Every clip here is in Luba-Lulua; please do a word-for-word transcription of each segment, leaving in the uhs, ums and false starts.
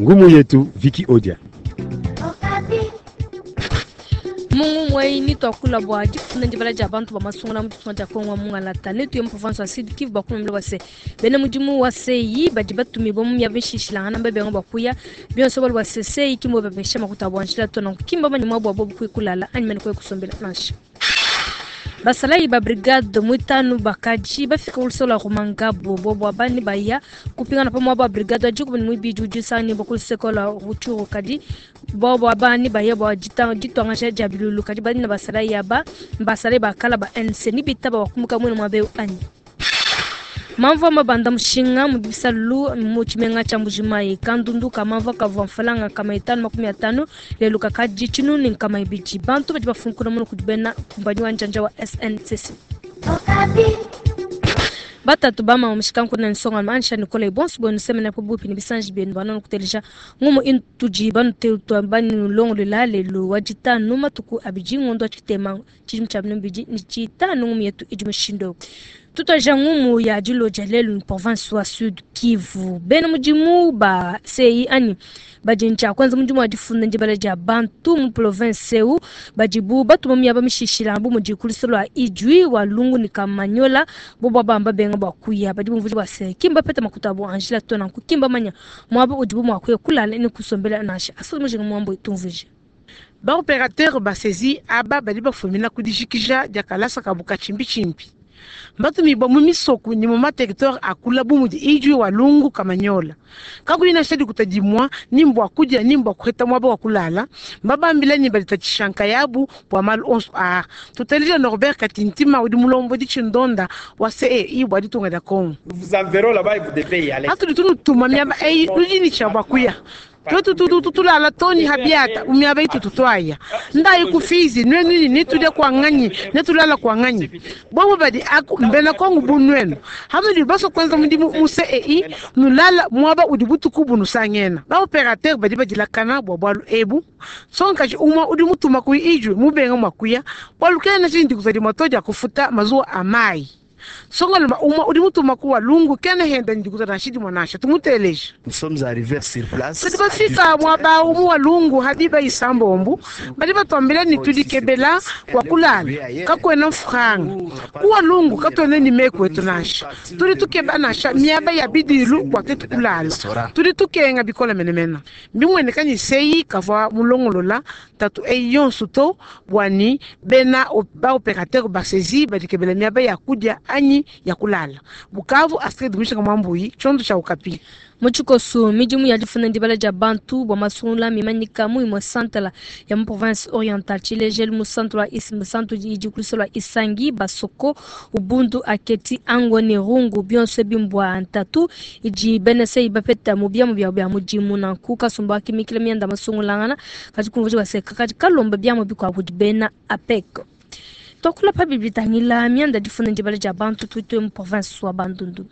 Ngumu yetu Viki Odia. Mungu mwaini twakula bwa difuna ndibala dia bantu ba masungula mu ditunga dia Kongo mungalata netu ya province wa Sud Kivu bakumamila wase bene mudimu wa seyi badi batumibwa mu miaba ishishilangana mbebengo bakuya bionso bali wase seyi kimbo bapesha makuta bwanjila tona kimba banyuma bwa bobu kwikulala anyimene kwe kusombela nansha. Basalayi ba brigade mwitanu bakaji bafika ulusola rumangabo bobo abani baya kupingana pamwe ba brigade ajuku ni mwibiju jusani bokulisekola ruchuru kadi bobo abani baya bo jita jitwangasha jabilulu kadi bani na basalayi aba basalayi bakala ba N C ni bitaba wakumuka mwene mwabe anyi. Mamva mabanda mushinga mu bisalu mu chimenga cha Mbujimayi kandundu kamamva kavwa mfalanga kama itano makumi atano lelo kakaji chinu ni kama ibiji bantu badi bafunkuna muno kudibena kumbanyi wa njanja wa S N C C. Batatu bama mushikanku na nsonga mansha Nicolas Bonsu bonu semena po bupi ni bisanji benu bana kutelisha ngumu intuji banu teutwa bani longo la lelo wajitanu matuku abiji ngondo chitema chimu cha binu biji ni chitanu ngumu yetu ijumishindo. Tutoja ngumu ya dilo jalelu province wa Sud Kivu. Bena mujimu ba C I ani bajincha kwanza mujimu wa difunda njibala ja bantu mu province eu bajibu batu mu yaba mishishila mbu mujikulisolo wa Ijwi wa Lungu ni Kamanyola bobo bamba benga bwa kuya badi mvuji wa se kimba peta makuta bo Angela tona kukimba manya mwabo ujibu mwa kuya kulala ni kusombela nasha asu mujimu mwambo itumvuje. Ba opérateur ba saisi aba bali bafumina kudishikisha diakalasa kabuka chimbi chimbi. Mbatumibwa mu misoku ni mu materitware akula bu mudi Ijwi wa Lungu Kamanyola. Kakuina shadi kutadimwa ni mbwa kudia ni mbwa kuheta mwaba wa kulala. Mbabambila ni balitatishanka yabu bwa malu onso a. Tutalija Norbert Katintima udi mulombo di chindonda wa C E I bwa ditunga da Kongo. Vous enverrons là-bas et vous devez y aller. Atu ditunu tuma miaba ei lujini cha bwa kuya. Tutu tutu tutu la la toni habiata umiaba itu tutwaya. Ndai kufizi nwenu ni nituja kwa nganyi netulala kwa nganyi. Bobo badi aku mbena kongu bunwenu. Hamudi baso kwanza mudimu mu C E I nulala mwaba udibutu kubu nusangena. Ba opérateur badi badilakana bwa bwalu ebu. Sonka umwa udi mutuma kui Ijwi mubenga mwakuya. Bwalu kena chindi kuzadi matoja kufuta mazuwa amai. Songa luma umwa udi mutuma kuwa Lungu kena henda ndikuza na shidi mwanasha tumuteleje. Nous sommes arrivés sur place. Sisi bafika mwaba umu wa Lungu hadiba isambombu bali batwambila ni tudikebela kwa kulala kakwena mfranga kuwa Lungu katwene ni mekwe tunasha tuli tukeba nasha miaba ya bidilu kwa tetu kulala tuli tukenga bikola menemena mbimwene kanyi seyi kavwa mulongolola tatu eyonsu to bwani bena ba opérateur basezi badikebela miaba ya kudia anyi ya kulala. Bukavu Astrid Mishika Mwambuyi chondo cha Okapi. Muchikosu midimu ya difuna ndibala ja bantu bwa masungula mimanyika mu imwe santala ya mu province orientale Chilejel mu centre wa is mu centre di kulisola Isangi Basoko Ubundu Aketi Ango ni Rungu bionse bimbwa ntatu iji benese ibapeta mu bya mu bya bya mujimu na kuka sumba kimikile myanda masungula ngana kati kumvuji baseka kati kalomba bya mu bikwa kudibena APEC. Tokula pa bibitangila mianda difuna ndibala ja bantu tutu mu province wa Bandundu.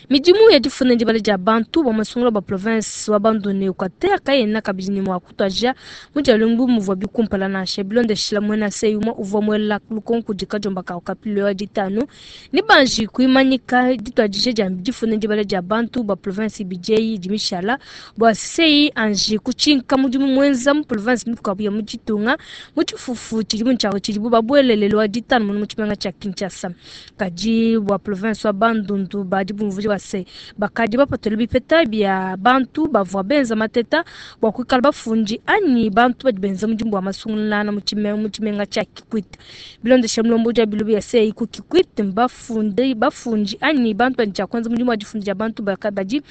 Midimu ya difuna ndibala ja bantu ba masungula ba province wa Bandundu ne Equateur kayena kabini mwa kutwaja mujalungu muvwa bikumpala na shebilonde shila mwena seyuma uvwa mwela lukonku dikajomba ka okapilo ya ditano ni banji kuimanyika ditwajije ja difuna ndibala ja bantu ba province B J dimishala bwa sei anji kuchinka mudimu mwenza mu province mikukabuya mujitunga muchifufu chilimu nchawo chilibu babwelelelwa ditano muno muchimenga cha Kinshasa kaji wa province wa Bandundu badi bumvuji wase bakadi bapatole bipeta bya bantu bavwa benza mateta bwa kwikala bafunji anyi bantu badi benza mujimbu wa masungulana muchimenga muchimenga cha Kikwit bilonde shamlombo ja bilubi ya sei ku Kikwit bafunde bafunji anyi bantu badi cha kwanza mujimbu wa difundi ja bantu bakabadi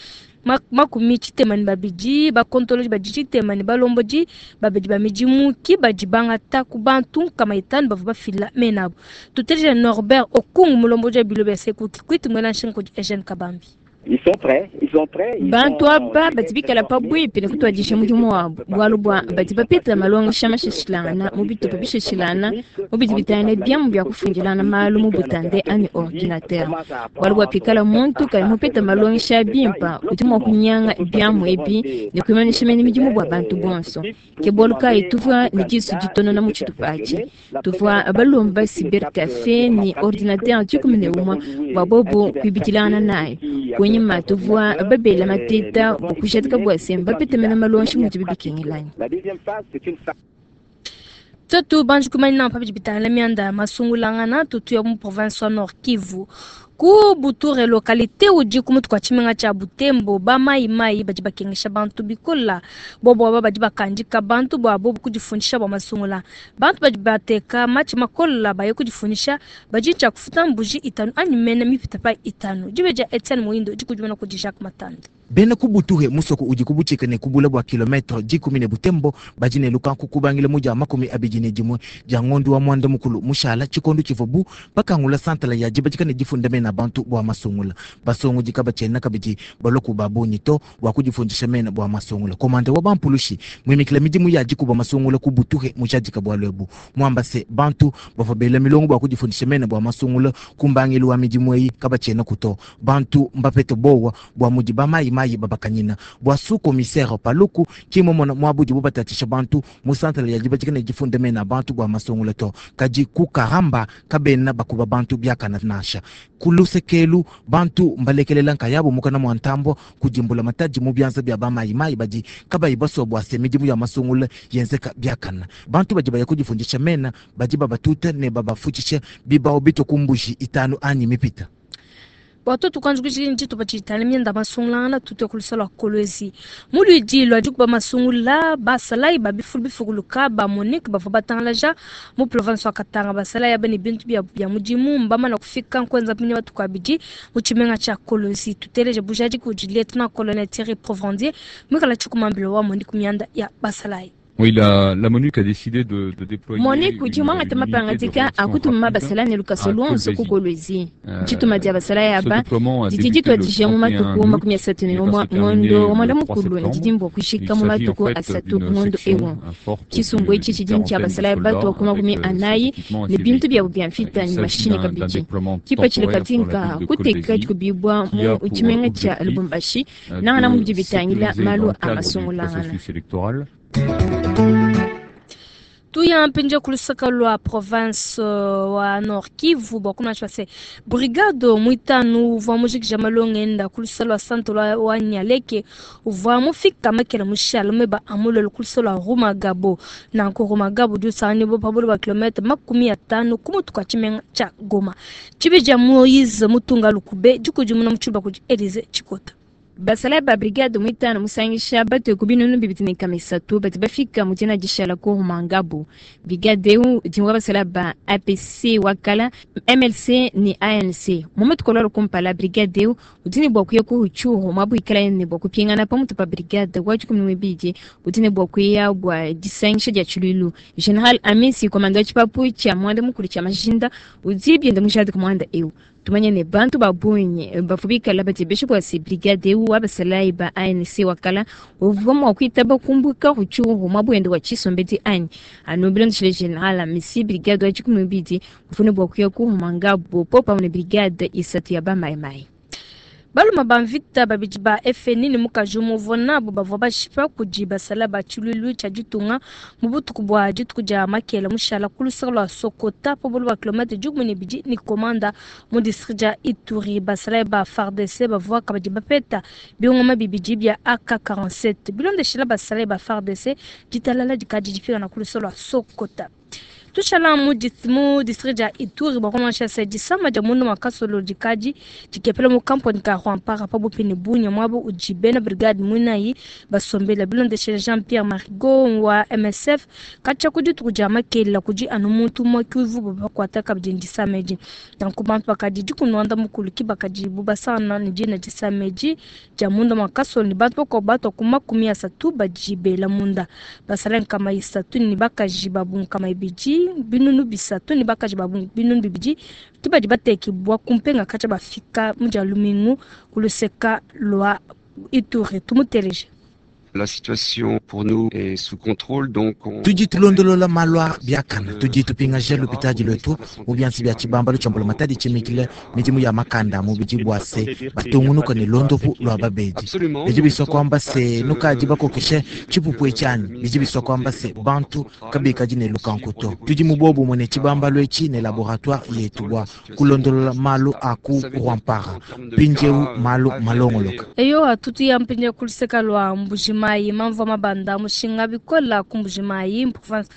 makumi chitema ni babiji bakontoloji badi chitema ni balomboji babedi ba mijimu ki badi bangata ku bantu kama itano bava bafila menabo tuteje Norbert Okungu mulomboji bilobe ya seku Kikwit mwela nshinko Eugène Kabambi. Ils sont prêts, ils sont prêts. Bantu aba batibikala pabwipi ne kutwadisha mudimu wabo bwalu bwa badi bapeta malonga shama shishilana mu bitupa bishishilana mu bidi bitane byamu bya kufundilana malu mu butande ani ordinateur bwalu bwa pikala muntu kali mupeta malonga sha bimpa udi mwa kunyanga byamu ebi ne kuimanisha mene midimu bwa bantu bonso ke bwalu kai tuvwa ne disu ditonona mu tshitupa atshi tuvwa balomba cyber café ni ordinateur dikumi ne umwa bwa bobo kwibidilana nayo. Kunyima tuvua babela mateta bua kujadika bua se mbapetemena malonshi mudi bibikengelanyi. Tuetu banji kumanya pa bidi bitangila mianda ya masungulangana tutuya mu province wa Nord Kivu ku Buture localité udi ku mutu kwa tshimenga tshia Butembo ba mai mai badi bakengesha bantu bikola bobo aba badi bakandika bantu bua bobo kudifundisha bua masungula bantu badi bateka matshi makola baye kudifundisha badi tshia kufuta mbuji itanu anyi mene mipita pa itanu dibe dia Etienne Muindo dikudimana kudi Jacques Matanda. Bena kubutuhe musoko udi kubuchika ne kubula bua kilometre dikumi ne Butembo badi ne lukanku kubangila muja makumi abidi ne dimwe dia ngondo wa mwanda mukulu mushala chikondo chivobu bakangula santala ya jibajika ne difunda mena bantu bua masungula basongo dikaba chena kabidi baloku babonyi to bua kudifundisha mena bua masungula komande wa bampulushi mwimikila midimu ya dikuba masungula kubutuhe mujadika bua lwebu mwamba se bantu bavabela milongo bua kudifundisha mena bua masungula kumbangilu wa midimu eyi kaba chena kuto bantu mbapete bowa bua mudi bamayi mayi babakanyina bua su commissaire paluku kimomona mwabudi bubatatisha bantu mu santala ya dibajika ne difunda mena bantu bua masungula to kadi kukaramba kabena bakuba bantu biakana nasha kulusekelu bantu mbalekelela nkayabo mukana mwa ntambo kudimbula mataji mu byanza bya bamayi mayi badi kabayi baswa bua se midimu ya masungula yenzeka biakana bantu badi baya kudifundisha mena badi babatuta ne babafutshisha bibao bito kumbushi itanu anyi mipita. Watoto kwanza kushikini chitupa chitale mienda masungulana tutwe kulusala Kolwezi mulwidi lwa dikuba masungula basalai babifulu bifukuluka ba Monique bava batangalaja mu province wa Katanga basalai abene bintu bya bya mudimu mbama na kufika nkwenza pinya batu kwabidi mu tshimenga tsha Kolwezi tuteleje bujadi ku lieutenant colonel Thierry Provandier mwikala chikumambilo wa Monique mianda ya basalai. Oui, la, la MONUC a décidé de, de déployer. MONUC udi mwangata mapangadika akutuma basala ne lukaso luonso ku Kolwezi. Tshituma dia basala yaba didi dituadija mu matuku makumi asatu ne umue ngondo wa mwanda mukulu ne didi mbua kushika mu matuku asatu ngondo ewu. Tshisumbu etshi tshidi tshia basala yaba tua ku makumi anayi ne bintu biabu bia mvita ne mashini kabidi. Kipatshila katinka kuteka dikubibua mu tshimenga tshia Lubumbashi nangana mudi bitangila malu a masungulangana. Tuya mpinje kulusaka lwa province wa Nord Kivu bwa se brigade mwitanu uvua mujikija malonga kulusa lwa santo lwa wa Nyaleke uvua mufika makela mushala meba amulolo kulusa lwa Rumagabo na nko Rumagabo dusani bo pabolo ba kilometre makumi atano kumutu kwa tshimenga tsha Goma tshibija Moise Mutunga Lukube dikudimuna mutshiba kudi Elise Chikota. Basala ba brigade mwitano musangisha batwe ku binunu bibiri ne kamisatu bati bafika mu dina dishala ku Rumangabo. Brigade eu dingwa basala ba A P C wakala M L C ni A N C. Mu matukololo kumpala brigade eu udini bwa kuya ku Ruchuru mwabu ikala ne bwa kupingana pamutu pa brigade wa cumi n'ibiri udini bwa kuya bwa disangisha dia Chululu. General Amisi komando chipapu cha mwanda mukulu cha Majinda udzibyenda mujadi ku mwanda eu. Tumanye ne bantu babunye bafubika batebeshe kwa si brigade eu abasalai ba A N C wakala uvuma kwitaba kumbuka Ruchuru mwabwende wa chisombeti anyi anobilo ndishile general Amisi brigade wa cumi n'ibiri mfune bwa kuya ku Rumangabo popa ne brigade isatu ya ba mai mai. Baluma bamvita babidi ba F N ni mukaji umuvua nabo bavua bashipa kudi basala ba tshilulu tshia ditunga mu butuku bua dituku dia makela mushala ku lusaka lua Sokota pa bolo ba kilometre dikumi ne bidi ni komanda mu district dia Ituri. Basala ba F A R D C bavua kabidi bapeta bingoma bibidi bia A K quarante-sept bilondeshela basala ba F A R D C ditalala dikadi difika na ku lusaka lua Sokota. Tushala mu mu district ya Ituri bakomansha se disama dia mundu makasolo dikadi dikepela mu kampani ka Rwampara pa bupini bunya mwabo ujibena brigade munayi basombela bilondeshela Jean-Pierre Marigot wa M S F kacha kudi tukuja makela kudi anu muntu mwakivu bakwata kabidi ndisameji nanku bantu bakadi dikunwanda mukulu kibakadi bubasana ni dina disameji dia mundu makasolo ni bantu bako bato kuma kumi asatu bajibela munda basala nkama isatu ni bakaji babunkama ibidi binunu bisatu ni bakaji babungu binunu bibidi kibadi bateki bwa kumpenga kacha bafika muja lumingu kuluseka lwa Ituri tumuteleje. La situation pour nous est sous contrôle, donc on... Tudi tulondolola malwa biakana tudi tupingaja lupitadi lwetu mu byansi bya tshibambalu tshia mbulamatadi tshimikile midimu ya makanda mu bidi bua se batungunuka ne londopu lwa babedi bidi biswa kwamba se nukadi bakokeshe tshipupu etshi bidi biswa kwamba se bantu kabikadi ne lukanku to tudi mu bobu ne tshibambalu etshi ne laboratoire yetu bua kulondolola malu a ku Rwampara mpindieu malu malongoloka. Eyo atutu ya mpindia kuluseka lwa Mbujimayi mamvua mabanda mushinga bikola ku Mbujimayi province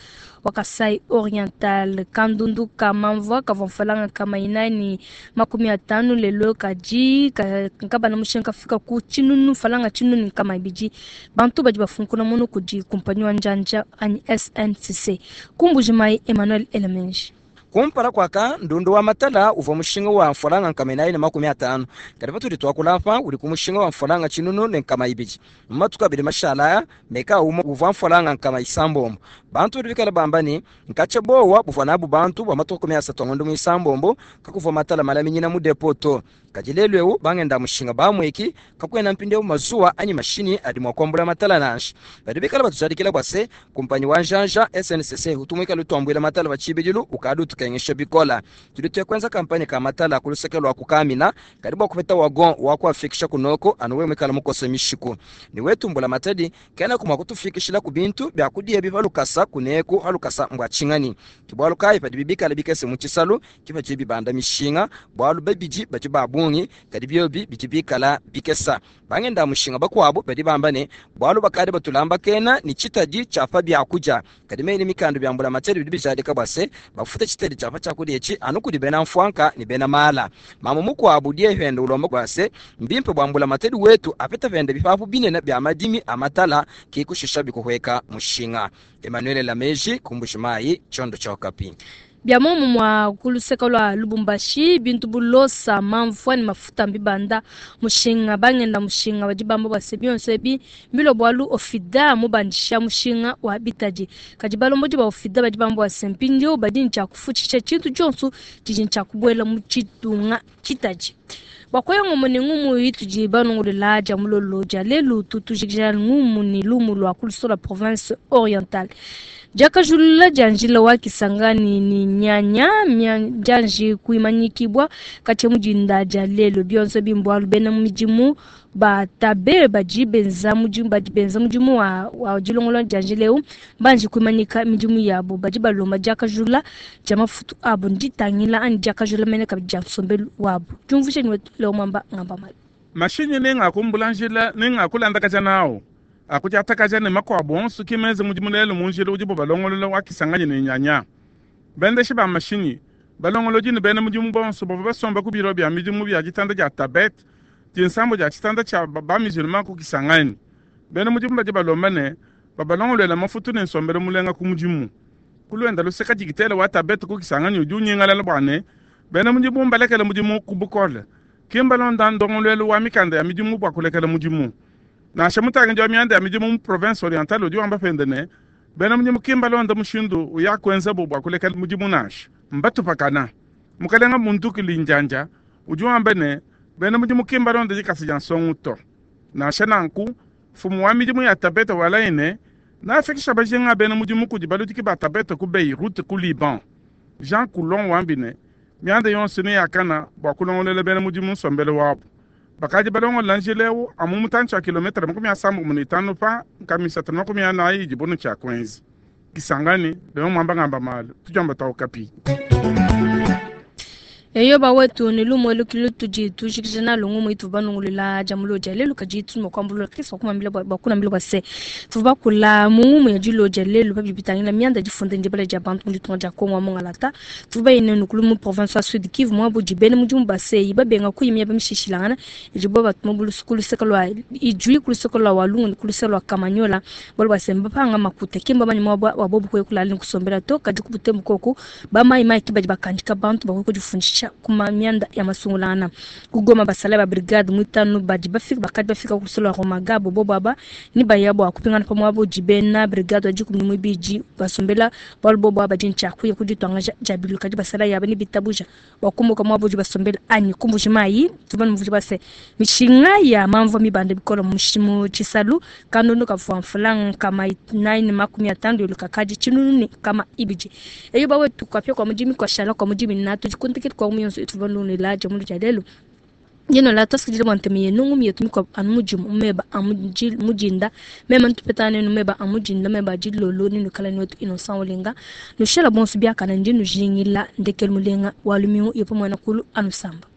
wa Kasai Oriental kandundu ka mamvua kavua mfalanga kama inani makumi atanu lelo kaji nkabana mushinga kafika ku tshinunu falanga tshinunu kama ibidi bantu badi bafunkuna munu kudi kumpanyi wa njanja anyi S N C C ku Mbujimayi Emmanuel Elemenji. Kumpala kwaka ndundu wa matala uvua mushinga wa mfalanga nkama inayi ne makumi atanu kadi patudi tuakulapa uli ku mushinga wa mfalanga tshinunu ne nkama ibidi matuku abidi mashala meka umwe uvua mfalanga nkama isambombo bantu badi bikala bamba ne nkatsha bowa buvua nabu bantu bua matuku makumi asatu angondo mu isambombo kakuvua matala malaminyina mu depo to kadi lelu eu bangenda mushinga bamweki kakwena mpindeu mazuwa anyi mashini adi mua kuambula matala nansha badi bikala batujadikila bua se kumpanyi wa njanja S N C C utumwikala utuambuila matala batshibidilu ukadi utukengesha bikola tudi tuya kwenza kampanye ka matala kuluseke lwa kukamina kadi bua kupeta wagon wa kuafikisha kunoko anu we mwikala mukose mishiku ni wetumbula matadi kena kumwa kutufikishila ku bintu bya kudia biva lukasa kuneku halukasa mbwa chingani kibwalu kai padi bibikala bikese mu tshisalu kipa bibanda mishinga bwalu babidi badi babungi kadi byobi bidi bikala bikesa bangenda mushinga bakwabo badi bamba ne bwalu bakadi batulamba kena ni chitadi chafa bya kuja kadi meni mikando byambula matadi bidi bijadika bwase bafuta chitadi chafa chakudia chi anu kudi bena mfwanka ni bena mala mama mukwabo die hendo ulomba bwase mbimpe bwambula matadi wetu apeta vende bifafu binene bya madimi amatala kikushisha bikuhweka mushinga. Emmanuel Lameji kumbushimai chondo cha Okapi. Bya momu mwa kuluseka lwa Lubumbashi bintu bulosa mamvua ni mafuta mbibanda mushinga bangenda mushinga badi bamba bwase byonse bi mbilo bwalu ofida mubandisha mushinga wa bitaji kadi balomboji ba ofida badi bamba bwase mpindio badi ncha kufuchisha chintu chonso chiji ncha kubwela mu chitunga chitaji bakoya ngomo ne ngumu yituji banongolela ja mulolo ja lelu tutujikija ngumu ni lumu lwa kulusola province orientale jakajulula janjila wa Kisangani ni nyanya janji kuimanyikibwa kati mujinda ja lelo byonse bimbwa bena mujimu batabe baji benza mujimu baji benza mujimu wa wa jilongolo janjileu banji kuimanyika mijimu yabo baji balomba jakajula ja mafutu abo nditangila ani jakajula mene kabija nsombelu wabo jumvushe ni leo mwamba ngamba mali mashinyi ninga kumbulanjila ninga kulanda kaja nawo akutyatakaja ne makwabo onso kimeze mudimu lelo munjila udibo balongolola wa Kisangani ne nyanya bendeshi ba mashinyi balongoloji ne bena mudimu bonso bava basomba ku biro bya midimu bya ditanda dia tabet dinsambo dia tshitanda tshia ba musulman ku Kisangani bena mudimu badi balomba ne babalongolola mafutu ne nsombelo mulenga ku mudimu kulwenda luseka dikitela wa tabet ku Kisangani udi unyingalala bwane bena mudimu mbalekela mudimu ku bukole kimbalonda ndongolwelo wa mikanda ya midimu bua kulekela mudimu nasha mutangi wa mianda ya midimu mu province orientale udi wamba pende ne bena mudimu kimbalonda mushindu uya kwenza bo bua kulekela mudimu nasha mbatupakana mukalenga muntu kilinjanja udi wamba ne bena mudimu kimbalonda dikasi dia nsongu to nasha nanku fumu wa midimu ya tabeta walaine nafikisha bajinga bena mudimu kudi baludiki ba tabeta ku Beirut ku Liban Jean Coulon wambi ne mianda yonso ne yakana bua kulongolela bena mudimu nsombele wabu bakadi balongolela njila amu mutantshi wa kilometre makumi asambo ne itanu pa nkamisatu makumi anayi idibunu tshia kwenzi Kisangani leo mwamba ngamba malu tujamba ta Okapi. Eyo bawetu ni lumo lukilu tuji tujikijana lungu mwitu banungulila jamulo jalelu kaji tumo kwambulula kisa kumambila bakuna mbila kwase tuba kula mungu mu yajulo jalelu babi bitangila mianda jifunde ndibale ja bantu ndi tunga ja Kongo mongalata tuba ine nukulu mu province ya Sud Kivu mwa buji bene mujumu base ibabenga kuyimya bamishishilangana ijibo batuma bulusukulu sekalwa ijui kulusekalwa walungu kuluselwa Kamanyola balo basemba panga makute kimba banyuma wabobu kwe kulali kusombela to kaji kubutembu koku ba mai mai kibaji bakandika bantu bakwe kujifundisha katshia kuma mianda ya masungulangana. Ku Goma basalayi ba brigade muitanu badi bafika bakadi bafika ku lusolo lua Rumangabo bobo aba ni baya bua kupingana pa muaba udi bena brigade wa dikumi ne muibidi basombela bualu bobo aba badi ne tshia kuya ku dituangaja dia bilu kadi basalayi aba ne bitabuja bua kumuka muaba udi basombela anyi ku Mbuji-Mayi tuvua muvua base mishinga ya mamvua mibanda bikole mu mu tshisalu kandondo kavua mfulanga nkama inayi ne makumi atanu lelu kakadi tshinunu ne nkama ibidi eyo bawetu kuapia kua mudimi kuashala kua mudimi natu dikuntekele kua mu yonso ituvua lunela dia mulu dia lelu yeno la tuasikidile bua ntema yenu ngumi yetu mikua anu mudimu meba a mudi- mudinda mema ntupetana nenu meba a mudinda meba a dilolo nenukala newetu Innocent Olenga nushala bonso biakana ndi nujingila ndekelu mulenga wa lumingu yepo muena kulu anusamba.